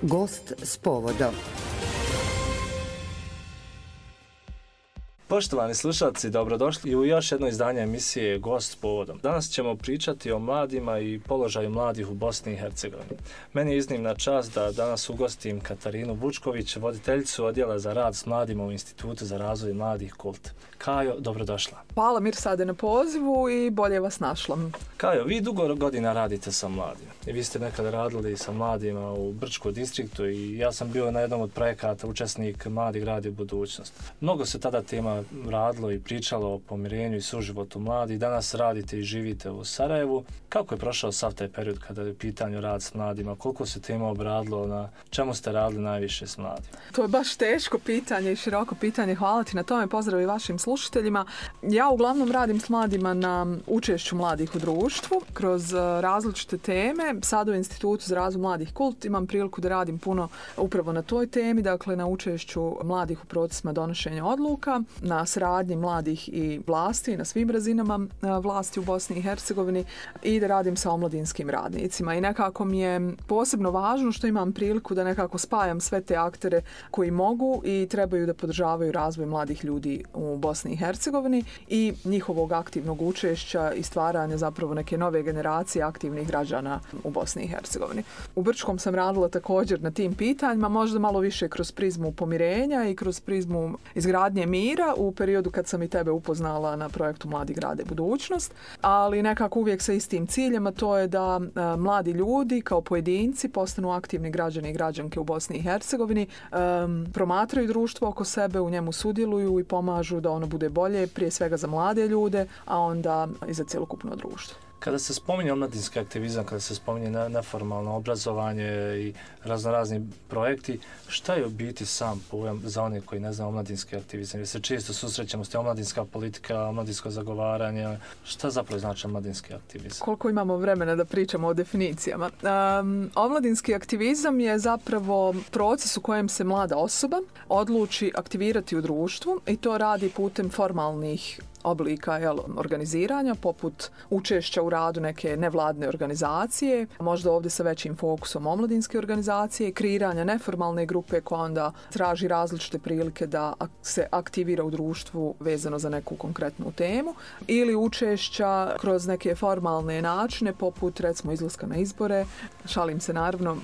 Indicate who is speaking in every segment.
Speaker 1: Gost s povodom.
Speaker 2: Poštovani slušalci, dobrodošli u još jedno izdanje emisije Gost s povodom. Danas ćemo pričati o mladima i položaju mladih u Bosni i Hercegovini. Meni je iznimna čast da danas ugostim Katarinu Vučković, voditeljicu odjela za rad s mladima u Institutu za razvoj mladih KULT. Kajo, dobrodošla.
Speaker 3: Hvala Mirsade na pozivu i bolje vas našla.
Speaker 2: Kajo, vi dugo godina radite sa mladima. I vi ste nekada radili sa mladima u Brčkom distriktu i ja sam bio na jednom od projekata učesnik Mladi gradi budućnost. Mnogo se tada tema radilo i pričalo o pomirenju i suživotu mladih. Danas radite i živite u Sarajevu. Kako je prošao sav taj period kada je u pitanju rad s mladima? Koliko se tema obradilo? Na čemu ste radili najviše s mladima?
Speaker 3: To je baš teško pitanje i široko pitanje. Hvala ti na tome. Pozdrav i vašim slušateljima. Ja uglavnom radim s mladima na učešću mladih u društvu kroz različite teme. Sad u Institutu za razvoj mladih KULT imam priliku da radim puno upravo na toj temi, dakle na učešću mladih u procesima donošenja odluka, na saradnji mladih i vlasti na svim razinama vlasti u Bosni i Hercegovini i da radim sa omladinskim radnicima. I nekako mi je posebno važno što imam priliku da nekako spajam sve te aktere koji mogu i trebaju da podržavaju razvoj mladih ljudi u Bosni i Hercegovini i njihovog aktivnog učešća i stvaranja zapravo neke nove generacije aktivnih građana u Bosni i Hercegovini. U Brčkom sam radila također na tim pitanjima, možda malo više kroz prizmu pomirenja i kroz prizmu izgradnje mira u periodu kad sam i tebe upoznala na projektu Mladi grade budućnost, ali nekako uvijek sa istim ciljem, a to je da mladi ljudi kao pojedinci postanu aktivni građani i građanke u Bosni i Hercegovini, promatraju društvo oko sebe, u njemu sudjeluju i pomažu da ono bude bolje, prije svega za mlade ljude, a onda i za cjelokupno društvo.
Speaker 2: Kada se spominje omladinski aktivizam, kada se spominje neformalno obrazovanje i raznorazni projekti, šta je u biti sam pojam za one koji ne znaju omladinski aktivizam? Jer se često susrećemo s te omladinska politika, omladinsko zagovaranje. Šta zapravo znači omladinski aktivizam?
Speaker 3: Koliko imamo vremena da pričamo o definicijama? Omladinski aktivizam je zapravo proces u kojem se mlada osoba odluči aktivirati u društvu i to radi putem formalnih oblika organiziranja, poput učešća u radu neke nevladne organizacije, možda ovdje sa većim fokusom omladinske organizacije, kreiranja neformalne grupe koja onda traži različite prilike da se aktivira u društvu vezano za neku konkretnu temu, ili učešća kroz neke formalne načine, poput recimo izlaska na izbore. Šalim se naravno,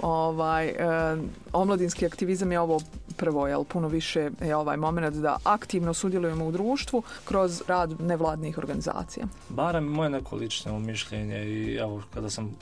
Speaker 3: omladinski aktivizam je ovo prvo, puno više je ovaj moment da aktivno sudjelujemo u društvu kroz rad nevladnih organizacija.
Speaker 2: Barem moje neko lično mišljenje i evo kada sam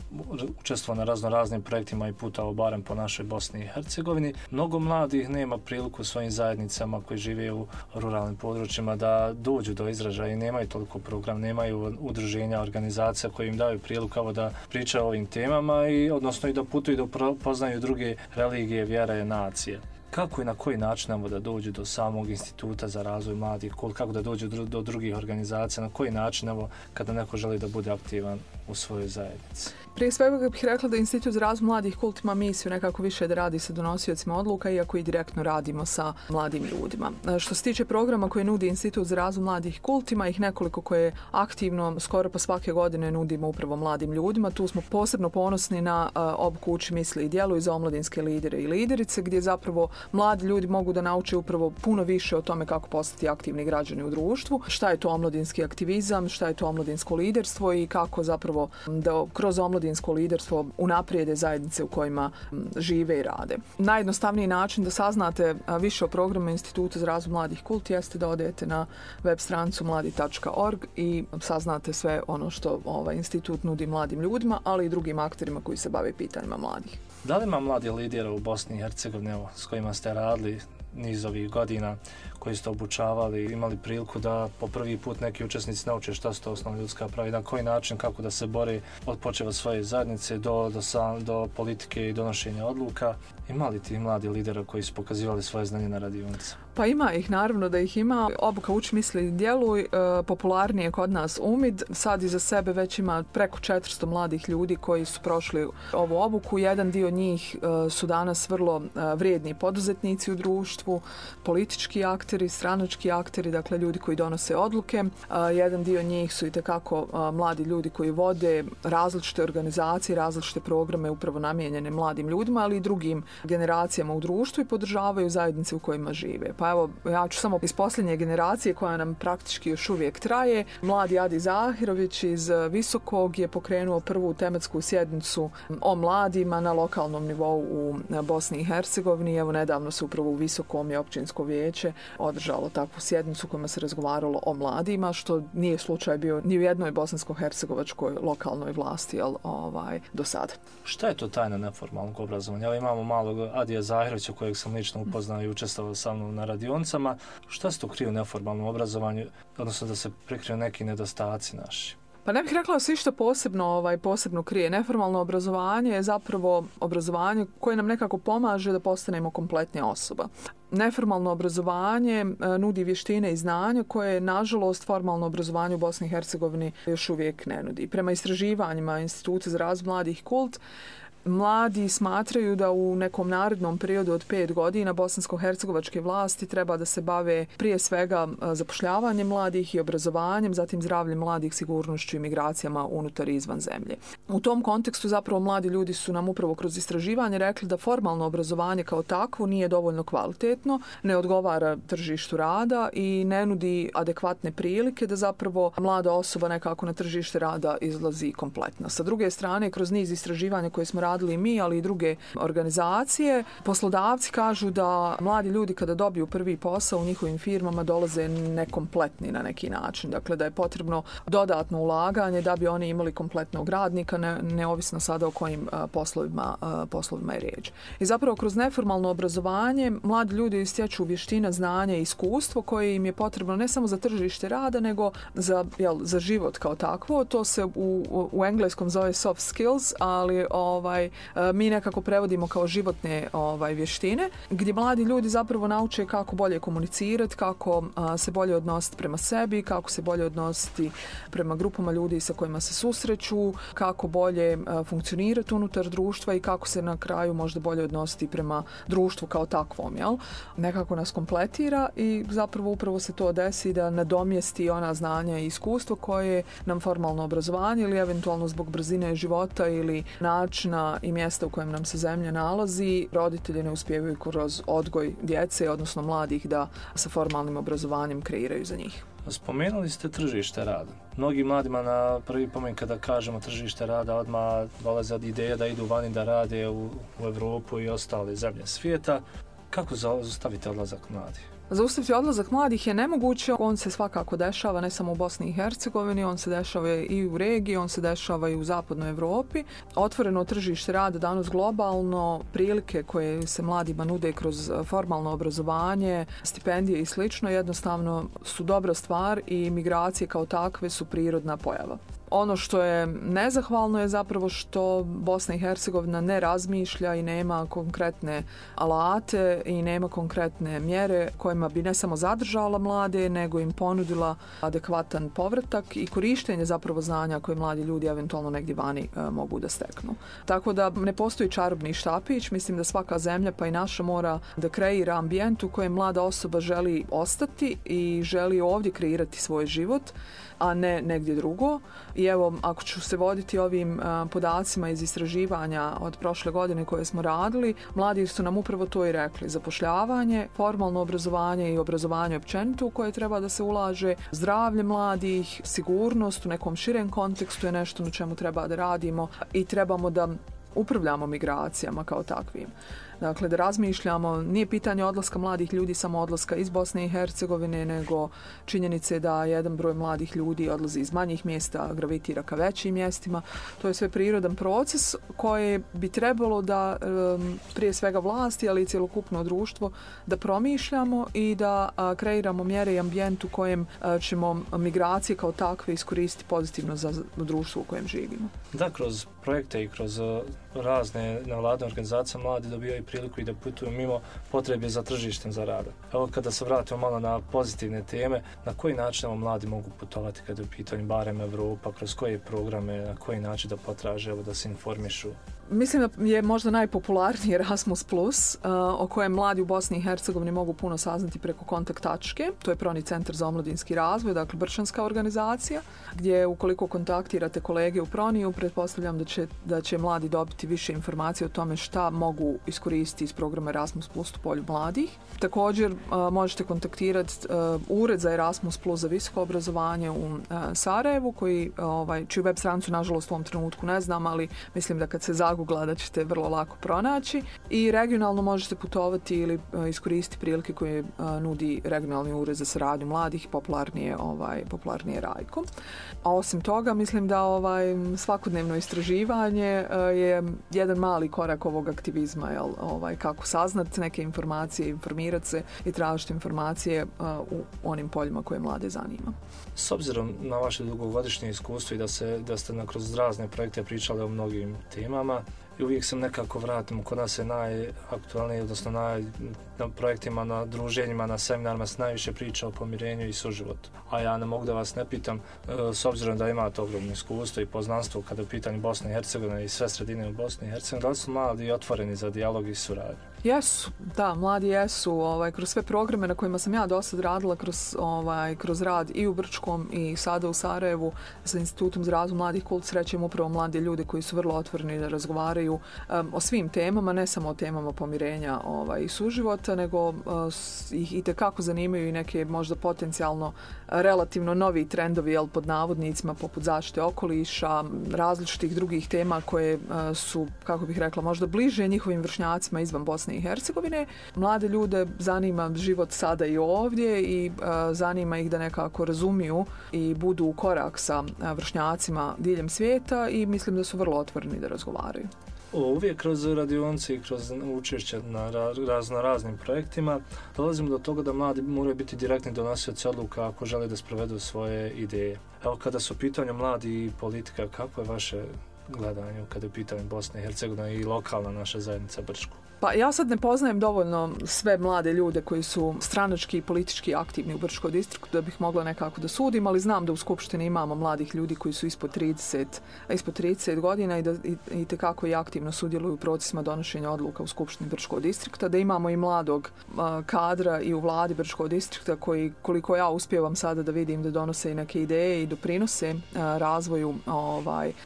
Speaker 2: učestvovao na raznim projektima i putao barem po našoj Bosni i Hercegovini, mnogo mladih nema priliku u svojim zajednicama koji žive u ruralnim područjima da dođu do izražaja i nemaju toliko program, nemaju udruženja, organizacija koji im daju priliku da pričaju o ovim temama i odnosno i da putuju da poznaju druge religije, vjere, nacije. Kako i na koji način da dođu do samog Instituta za razvoj mladih KULT, kako da dođu do drugih organizacija, na koji način kada neko želi da bude aktivan u svojoj zajednici?
Speaker 3: Prije svega bih rekla da Institut za razvoj mladih KULT ima misiju nekako više da radi sa donosiocima odluka, iako i direktno radimo sa mladim ljudima. Što se tiče programa koje nudi Institut za razvoj mladih KULT, ima ih nekoliko koje aktivno skoro pa svake godine nudimo upravo mladim ljudima. Tu smo posebno ponosni na obuku Uči, misli i djeluj za omladinske lidere i liderice, gdje zapravo mladi ljudi mogu da nauče upravo puno više o tome kako postati aktivni građani u društvu, šta je to omladinski aktivizam, šta je to omladinsko liderstvo i kako zapravo da kroz omladinsko liderstvo unaprijede zajednice u kojima žive i rade. Najjednostavniji način da saznate više o programu Instituta za razvoj mladih KULT jeste da odete na web stranicu mladi.org i saznate sve ono što ovaj institut nudi mladim ljudima, ali i drugim akterima koji se bave pitanjima mladih.
Speaker 2: Da li ima mladi lidera u Bosni i Hercegovini s kojima ste radili niz ovih godina, koji ste obučavali, imali priliku da po prvi put neki učesnici nauče šta su to osnovna ljudska prava i na koji način, kako da se bore od počeva svoje zajednice do politike i donošenja odluka? Ima li ti mladi lidera koji su pokazivali svoje znanje na radionicama?
Speaker 3: Pa ima ih, naravno da ih ima. Obuka Uči, misli, djeluj, popularnije kod nas UMID. Sad iza sebe već ima preko 400 mladih ljudi koji su prošli ovu obuku. Jedan dio njih su danas vrlo vrijedni poduzetnici u društvu, politički akteri, stranački akteri, dakle ljudi koji donose odluke. Jedan dio njih su itekako mladi ljudi koji vode različite organizacije, različite programe upravo namijenjene mladim ljudima, ali i drugim generacijama u društvu i podržavaju zajednice u kojima žive. Pa evo, ja ću samo iz posljednje generacije koja nam praktički još uvijek traje. Mladi Adi Zahirović iz Visokog je pokrenuo prvu tematsku sjednicu o mladima na lokalnom nivou u Bosni i Hercegovini. Evo, nedavno se upravo u Visokom je općinsko vijeće održalo takvu sjednicu kojima se razgovaralo o mladima, što nije slučaj bio ni u jednoj bosansko-hercegovačkoj lokalnoj vlasti do sada.
Speaker 2: Šta je to tajna neformalnog obrazovanja? Evo, imamo malog Adija Zahirovića kojeg sam lično upoznao i učestvovao sa mnom na radionicama. Šta se to krije u neformalnom obrazovanju, odnosno da se prikriju neki nedostaci naši?
Speaker 3: Pa ne bih rekla da se išta posebno krije. Neformalno obrazovanje je zapravo obrazovanje koje nam nekako pomaže da postanemo kompletnija osoba. Neformalno obrazovanje nudi vještine i znanja koje, nažalost, formalno obrazovanje u Bosni i Hercegovini još uvijek ne nudi. Prema istraživanjima Instituta za razvoj mladih KULT, mladi smatraju da u nekom narednom periodu od 5 godina bosansko-hercegovačke vlasti treba da se bave prije svega zapošljavanjem mladih i obrazovanjem, zatim zdravljem mladih, sigurnošću i migracijama unutar i izvan zemlje. U tom kontekstu zapravo mladi ljudi su nam upravo kroz istraživanje rekli da formalno obrazovanje kao takvo nije dovoljno kvalitetno, ne odgovara tržištu rada i ne nudi adekvatne prilike da zapravo mlada osoba nekako na tržište rada izlazi kompletno. Sa druge strane, kroz niz istraživanja koje smo radili mi, ali i druge organizacije, poslodavci kažu da mladi ljudi kada dobiju prvi posao u njihovim firmama dolaze nekompletni na neki način. Dakle, da je potrebno dodatno ulaganje da bi oni imali kompletnog radnika, neovisno sada o kojim poslovima je riječ. I zapravo kroz neformalno obrazovanje mladi ljudi stječu vještine, znanje i iskustvo koje im je potrebno ne samo za tržište rada, nego za život kao takvo. To se u engleskom zove soft skills, ali mi nekako prevodimo kao životne vještine, gdje mladi ljudi zapravo nauče kako bolje komunicirati, kako se bolje odnositi prema sebi, kako se bolje odnositi prema grupama ljudi sa kojima se susreću, kako bolje funkcionirati unutar društva i kako se na kraju možda bolje odnositi prema društvu kao takvom. Jel? Nekako nas kompletira i zapravo upravo se to desi da nadomjesti ona znanja i iskustvo koje nam formalno obrazovanje ili eventualno zbog brzine života ili načina i mjesta u kojem nam se zemlja nalazi, roditelji ne uspijevaju kroz odgoj djece, odnosno mladih, da sa formalnim obrazovanjem kreiraju za njih.
Speaker 2: Spomenuli ste tržište rada. Mnogi mladima na prvi pomen kada kažemo tržište rada odmah dolaze od ideje da idu vani da rade u Europu i ostale zemlje svijeta. Kako zaustaviti odlazak mladih?
Speaker 3: Zaustaviti odlazak mladih je nemoguće. On se svakako dešava ne samo u Bosni i Hercegovini, on se dešava i u regiji, on se dešava i u zapadnoj Europi. Otvoreno tržište rada danas globalno, prilike koje se mladima nude kroz formalno obrazovanje, stipendije i slično, jednostavno su dobra stvar i migracije kao takve su prirodna pojava. Ono što je nezahvalno je zapravo što Bosna i Hercegovina ne razmišlja i nema konkretne alate i nema konkretne mjere kojima bi ne samo zadržala mlade, nego im ponudila adekvatan povratak i korištenje zapravo znanja koje mladi ljudi eventualno negdje vani mogu da steknu. Tako da ne postoji čarobni štapić, mislim da svaka zemlja, pa i naša, mora da kreira ambijent u kojem mlada osoba želi ostati i želi ovdje kreirati svoj život, a ne negdje drugo. I evo, ako ću se voditi ovim podacima iz istraživanja od prošle godine koje smo radili, mladi su nam upravo to i rekli. Zapošljavanje, formalno obrazovanje i obrazovanje općenito u koje treba da se ulaže, zdravlje mladih, sigurnost u nekom širem kontekstu je nešto na čemu treba da radimo i trebamo da upravljamo migracijama kao takvim. Dakle, da razmišljamo, nije pitanje odlaska mladih ljudi samo odlaska iz Bosne i Hercegovine, nego činjenice da jedan broj mladih ljudi odlazi iz manjih mjesta, gravitira ka većim mjestima. To je sve prirodan proces koje bi trebalo da prije svega vlasti, ali i cjelokupno društvo, da promišljamo i da kreiramo mjere i ambijent u kojem ćemo migracije kao takve iskoristiti pozitivno za društvo u kojem živimo.
Speaker 2: Da, kroz projekte i kroz razne nevladine organizacije mladi dobijaju priliku i da putuju mimo potrebe za tržištem za rada. Evo kada se vratimo malo na pozitivne teme, na koji način mladi mogu putovati kada je u pitanju barem Evropa, kroz koje programe, na koji način da potraže, da se informišu?
Speaker 3: Mislim da je možda najpopularniji Erasmus+, o kojem mladi u Bosni i Hercegovini mogu puno saznati preko kontakt tačke. To je Proni centar za omladinski razvoj, dakle brčanska organizacija, gdje ukoliko kontaktirate kolege u Proniju, pretpostavljam da će mladi dobiti više informacije o tome šta mogu iskoristiti iz programa Erasmus+ u polju mladih. Također možete kontaktirati Ured za Erasmus+ za visoko obrazovanje u Sarajevu, čiju web stranicu nažalost u ovom trenutku ne znam, ali mislim da kad se zagugla da ćete vrlo lako pronaći. I regionalno možete putovati ili iskoristiti prilike koje nudi regionalni ured za saradnju mladih, popularnije Rajko. A osim toga, mislim da svakodnevno istraživanje je jedan mali korak ovog aktivizma, kako saznati neke informacije, informirati se i tražiti informacije u onim poljima koje mlade zanima.
Speaker 2: S obzirom na vaše dugogodišnje iskustvo i da ste kroz razne projekte pričali o mnogim temama, i uvijek sam nekako vratim, kod nas je najaktualniji, odnosno na projektima, na druženjima, na seminarima se najviše priča o pomirenju i suživotu. A ja ne mogu da vas ne pitam, s obzirom da imate ogromno iskustvo i poznanstvo kada je u pitanju Bosne i Hercegovine i sve sredine u Bosni i Hercegovini, da li su mladi otvoreni za dijalog i suradnju?
Speaker 3: Jesu, da, mladi jesu. Kroz sve programe na kojima sam ja dosad radila, kroz rad i u Brčkom i sada u Sarajevu sa Institutom za razvoj mladih KULT, srećem upravo mlade ljude koji su vrlo otvoreni da razgovaraju o svim temama, ne samo o temama pomirenja i suživota, nego ih itekako zanimaju i neke možda potencijalno relativno novi trendovi, pod navodnicima, poput zaštite okoliša, različitih drugih tema koje su, kako bih rekla, možda bliže njihovim vršnjacima izvan Bosne i Hercegovine. Mlade ljude zanima život sada i ovdje i zanima ih da nekako razumiju i budu u korak sa vršnjacima diljem svijeta i mislim da su vrlo otvoreni da razgovaraju.
Speaker 2: Uvijek kroz radionice i kroz učešće na raznim projektima dolazimo do toga da mladi moraju biti direktni donosioci odluka ako žele da sprovedu svoje ideje. Evo, kada su u pitanju mladi i politika, kako je vaše gledanje kada je u pitanju Bosne i Hercegovine i lokalna naša zajednica Brčko?
Speaker 3: Pa ja sad ne poznajem dovoljno sve mlade ljude koji su stranački i politički aktivni u Brčkom distriktu da bih mogla nekako da sudim, ali znam da u Skupštini imamo mladih ljudi koji su ispod 30 godina i da itekako i aktivno sudjeluju u procesima donošenja odluka u Skupštini Brčkog distrikta, da imamo i mladog kadra i u vladi Brčkog distrikta koji, koliko ja uspijevam sada da vidim, da donose i neke ideje i doprinose razvoju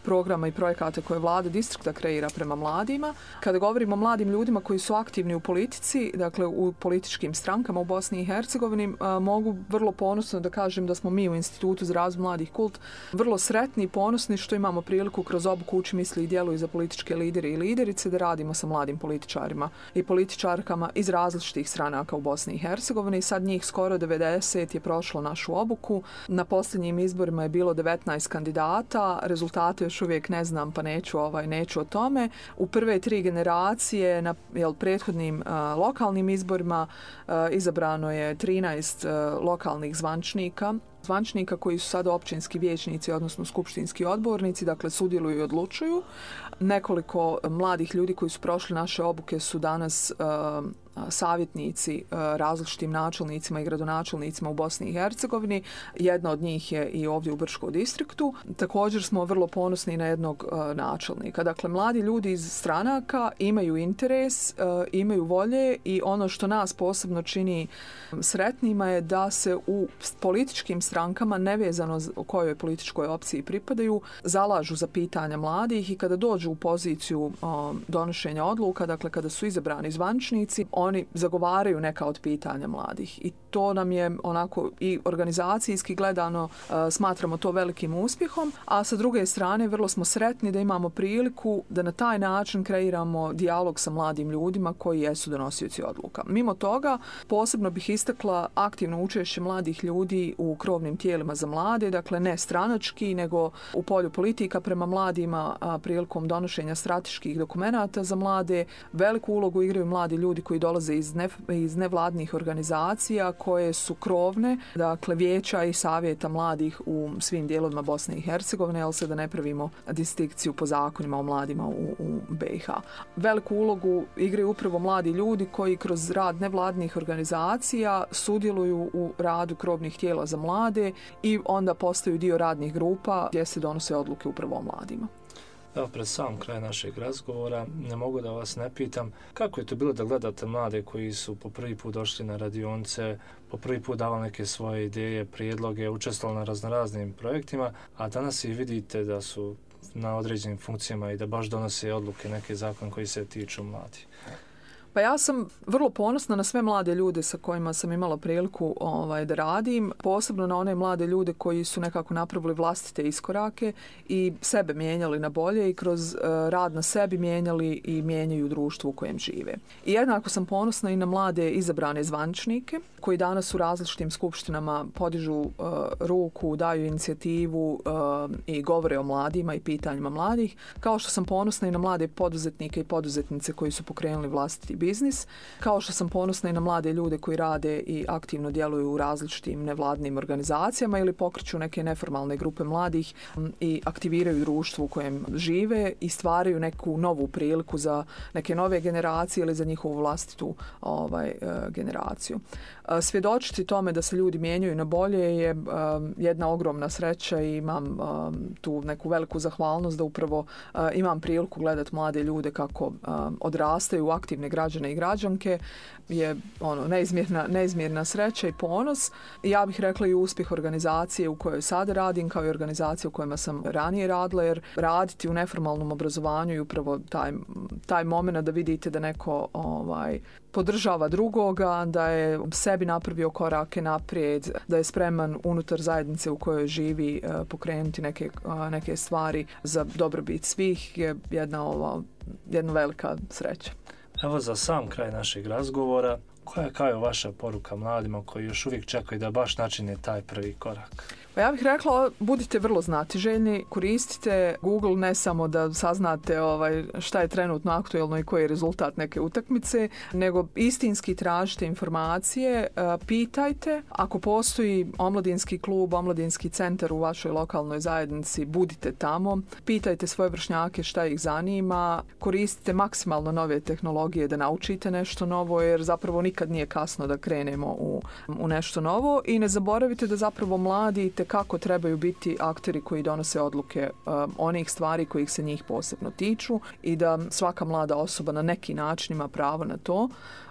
Speaker 3: programa i projekata koje vlada distrikta kreira prema mladima. Kada govorimo o mladim ljudima koji su aktivni u politici, dakle u političkim strankama u Bosni i Hercegovini, mogu vrlo ponosno da kažem da smo mi u Institutu za razvoj mladih KULT vrlo sretni i ponosni što imamo priliku kroz obuku Uči, misli i djeluj za političke lidere i liderice da radimo sa mladim političarima i političarkama iz različitih stranaka u Bosni i Hercegovini. Sad njih skoro 90 je prošlo našu obuku. Na posljednjim izborima je bilo 19 kandidata, rezultate još uvijek ne znam pa neću o tome. U prve 3 generacije na prethodnim lokalnim izborima izabrano je 13 lokalnih zvančnika koji su sada općinski vijećnici, odnosno skupštinski odbornici, dakle sudjeluju i odlučuju. Nekoliko mladih ljudi koji su prošli naše obuke su danas savjetnici različitim načelnicima i gradonačelnicima u Bosni i Hercegovini. Jedna od njih je i ovdje u Brčkom distriktu. Također smo vrlo ponosni na jednog načelnika. Dakle, mladi ljudi iz stranaka imaju interes, imaju volje i ono što nas posebno čini sretnima je da se u političkim strankama, nevezano o kojoj političkoj opciji pripadaju, zalažu za pitanja mladih i kada dođu u poziciju donošenja odluka, dakle kada su izabrani zvančnici, oni zagovaraju neka od pitanja mladih i to nam je onako i organizacijski gledano smatramo to velikim uspjehom, a sa druge strane vrlo smo sretni da imamo priliku da na taj način kreiramo dijalog sa mladim ljudima koji jesu donosioci odluka. Mimo toga, posebno bih istakla aktivno učešće mladih ljudi u krovnim krovnim tijelima za mlade, dakle ne stranački, nego u polju politika prema mladima, prilikom donošenja strateških dokumenata za mlade. Veliku ulogu igraju mladi ljudi koji dolaze iz nevladnih organizacija koje su krovne, dakle vijeća i savjeta mladih u svim dijelovima Bosne i Hercegovine, ali se da ne pravimo distinkciju po zakonima o mladima u BiH. Veliku ulogu igraju upravo mladi ljudi koji kroz rad nevladnih organizacija sudjeluju u radu krovnih tijela za mlade i onda postaju dio radnih grupa gdje se donose odluke upravo o mladima.
Speaker 2: Evo, pred sam kraj našeg razgovora ne mogu da vas ne pitam kako je to bilo da gledate mlade koji su po prvi put došli na radionice, po prvi put davali neke svoje ideje, prijedloge, učestvovali na raznoraznim projektima, a danas i vidite da su na određenim funkcijama i da baš donose odluke, neke zakone koji se tiču mladih.
Speaker 3: Pa ja sam vrlo ponosna na sve mlade ljude sa kojima sam imala priliku da radim, posebno na one mlade ljude koji su nekako napravili vlastite iskorake i sebe mijenjali na bolje i kroz rad na sebi mijenjali i mijenjaju društvo u kojem žive. I jednako sam ponosna i na mlade izabrane zvaničnike koji danas u različitim skupštinama podižu ruku, daju inicijativu i govore o mladima i pitanjima mladih, kao što sam ponosna i na mlade poduzetnike i poduzetnice koji su pokrenuli vlastiti biznis, kao što sam ponosna i na mlade ljude koji rade i aktivno djeluju u različitim nevladnim organizacijama ili pokreću neke neformalne grupe mladih i aktiviraju društvo u kojem žive i stvaraju neku novu priliku za neke nove generacije ili za njihovu vlastitu generaciju. Svjedočiti tome da se ljudi mijenjaju na bolje je jedna ogromna sreća i imam tu neku veliku zahvalnost da upravo imam priliku gledati mlade ljude kako odrastaju aktivne građane i građanke je neizmjerna sreća i ponos. I ja bih rekla i uspjeh organizacije u kojoj sad radim, kao i organizacije u kojima sam ranije radila, jer raditi u neformalnom obrazovanju i upravo taj moment da vidite da neko podržava drugoga, da je sebi napravio korake naprijed, da je spreman unutar zajednice u kojoj živi pokrenuti neke stvari za dobrobit svih je jedna velika sreća.
Speaker 2: Evo za sam kraj našeg razgovora, koja je vaša poruka mladima koji još uvijek čekaju da baš načine taj prvi korak?
Speaker 3: Pa ja bih rekla, budite vrlo znatiželjni, koristite Google ne samo da saznate šta je trenutno aktuelno i koji je rezultat neke utakmice, nego istinski tražite informacije, pitajte. Ako postoji omladinski klub, omladinski centar u vašoj lokalnoj zajednici, budite tamo, pitajte svoje vršnjake šta ih zanima, koristite maksimalno nove tehnologije da naučite nešto novo, jer zapravo nikad nije kasno da krenemo u nešto novo i ne zaboravite da zapravo mladi kako trebaju biti akteri koji donose odluke onih stvari kojih se njih posebno tiču i da svaka mlada osoba na neki način ima pravo na to.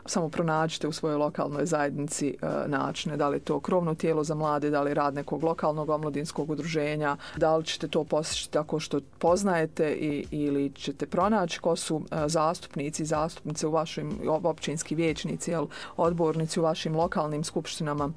Speaker 3: Samo pronađite u svojoj lokalnoj zajednici načine, da li je to krovno tijelo za mlade, da li je rad nekog lokalnog omladinskog udruženja, da li ćete to postići tako što poznajete ili ćete pronaći ko su zastupnici i zastupnice u vašim općinski vijećnici, odbornici u vašim lokalnim skupštinama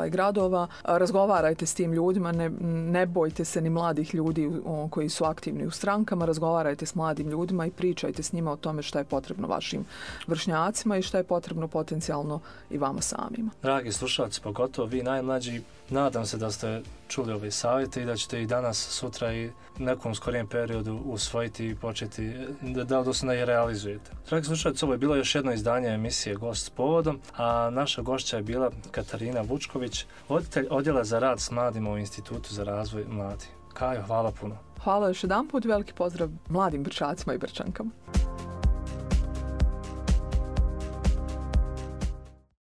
Speaker 3: gradova. Razgovarajte s tim ljudima, ne bojte se ni mladih ljudi koji su aktivni u strankama, razgovarajte s mladim ljudima i pričajte s njima o tome šta je potrebno vašim vršnjacima i šta je potrebno potencijalno i vama samima.
Speaker 2: Dragi slušalci, pogotovo vi najmlađi, nadam se da ste čuli ove savjete i da ćete i danas, sutra i nekom skorijem periodu usvojiti i početi da i realizujete. Dragi slušalci, ovo je bilo još jedno izdanje emisije Gost s povodom, a naša gošća je bila Katarina Vučković, voditelj odjela za rad s mladima u Institutu za razvoj mladih. Kajo, hvala puno.
Speaker 3: Hvala još jedanput, veliki pozdrav mladim Brčacima i Brčankama.